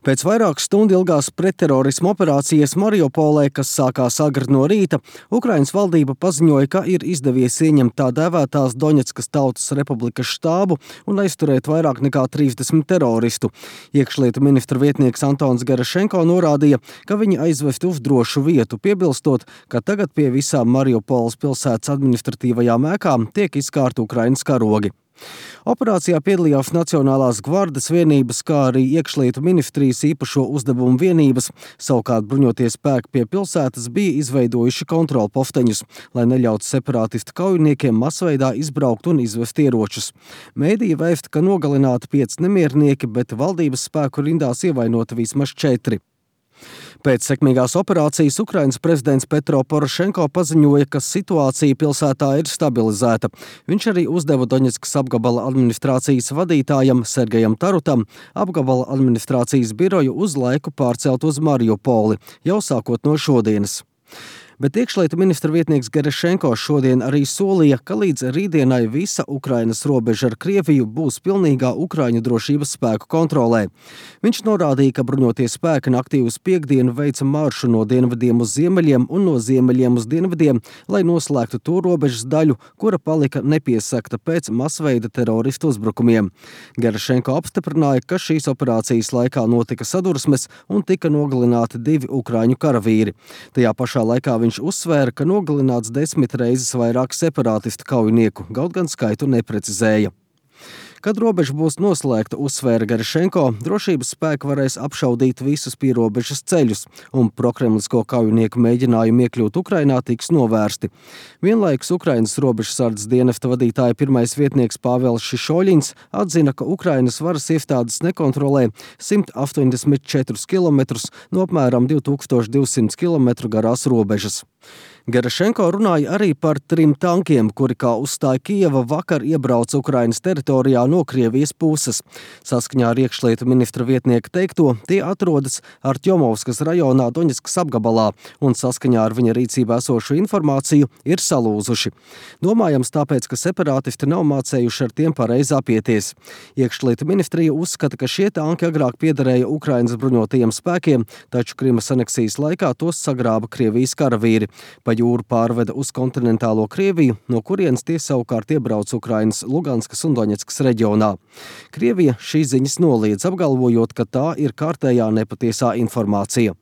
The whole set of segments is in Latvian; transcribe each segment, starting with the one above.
Pēc vairāku stundu ilgās pretterorisma operācijas Mariupolē, kas sākās agri no rīta, Ukrainas valdība paziņoja, ka ir izdevies ieņemt tā dēvētās Doņetskas Tautas Republikas štābu un aizturēt vairāk nekā 30 teroristu. Iekšlietu ministra vietnieks Antons Gerašenko norādīja, ka viņi aizvesti uz drošu vietu, piebilstot, ka tagad pie visām Mariupoles pilsētas administratīvajām ēkām tiek izkārti Ukrainas karogi. Operācijā piedalījās Nacionālās gvardes vienības, kā arī iekšlietu ministrijas īpašo uzdevumu vienības. Savukārt bruņotie spēki pie pilsētas bija izveidojuši kontrolposteņus, lai neļautu separātistu kaujiniekiem masveidā izbraukt un izvest ieročus. Mēdīja vēsta, ka nogalināti 5 nemiernieki, bet valdības spēku rindās ievainoti vismaz 4. Pēc sekmīgās operācijas Ukrainas prezidents Petro Porošenko paziņoja, ka situācija pilsētā ir stabilizēta. Viņš arī uzdeva Doņetskas apgabala administrācijas vadītājam Sergejam Tarutam apgabala administrācijas biroju uz laiku pārcelt uz Mariupoli, jau sākot no šodienas. Bet iekšlietu ministra vietnieks Gerašenko šodien arī solīja, ka līdz rītdienai visa Ukrainas robeža ar Krieviju būs pilnīgā Ukraiņu drošības spēku kontrolē. Viņš norādīja, ka bruņotie spēki naktī uz piektdienu veica maršu no dienvidiem uz ziemeļiem un no ziemeļiem uz dienvidiem, lai noslēgtu to robežas daļu, kura palika nepiesegta pēc masveida teroristu uzbrukumiem. Gerašenko apstiprināja, ka šīs operācijas laikā notika sadursmes un tika nogalināti 2 Ukraiņu karavīri. Tajā pašā laikā viņš uzsvēra, ka nogalināts 10 reizes vairāk separātistu kaujinieku, kaut gan skaitu neprecizēja. Kad robeža būs noslēgta, uzsvēra Gerašenko, drošības spēki varēs apšaudīt visus pierobežas ceļus, un prokremlisko kaujinieku mēģinājumi iekļūt Ukrainā tiks novērsti. Vienlaikus Ukrainas robežsardzes dienesta vadītāja pirmais vietnieks Pāvels Šišoļins atzina, ka Ukrainas varas iestādes nekontrolē 184 kilometrus no apmēram 2200 kilometru garās robežas. Gerašenko runāja arī par 3 tankiem, kuri, kā uzstāja Kijeva, vakar iebrauca Ukrainas teritorijā no Krievijas puses. Saskaņā ar iekšlietu ministra vietnieka teikto, tie atrodas Artjomovskas rajonā Doņetskas apgabalā un saskaņā ar viņa rīcībā esošu informāciju ir salūzuši. Domājams tāpēc, ka separātisti nav mācējuši ar tiem pareizi apieties. Iekšlietu ministrija uzskata, ka šie tanki agrāk piederēja Ukrainas bruņotajiem spēkiem, taču Krimas aneksijas laikā tos sagrāba Krievijas karavīri. Pa jūru pārveda uz kontinentālo Krieviju, no kurienes tie savukārt iebrauc Ukrainas Luganskas un Doņetskas reģionā. Krievija šīs ziņas noliedz, apgalvojot, ka tā ir kārtējā nepatiesā informācija.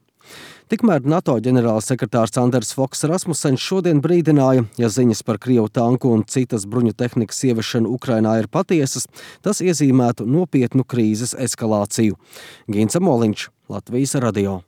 Tikmēr NATO ģenerālsekretārs Anders Foks Rasmussens šodien brīdināja, ja ziņas par Krievu tanku un citas bruņu tehnikas ieviešanu Ukrainā ir patiesas, tas iezīmētu nopietnu krīzes eskalāciju. Gins Amoliņš, Latvijas radio.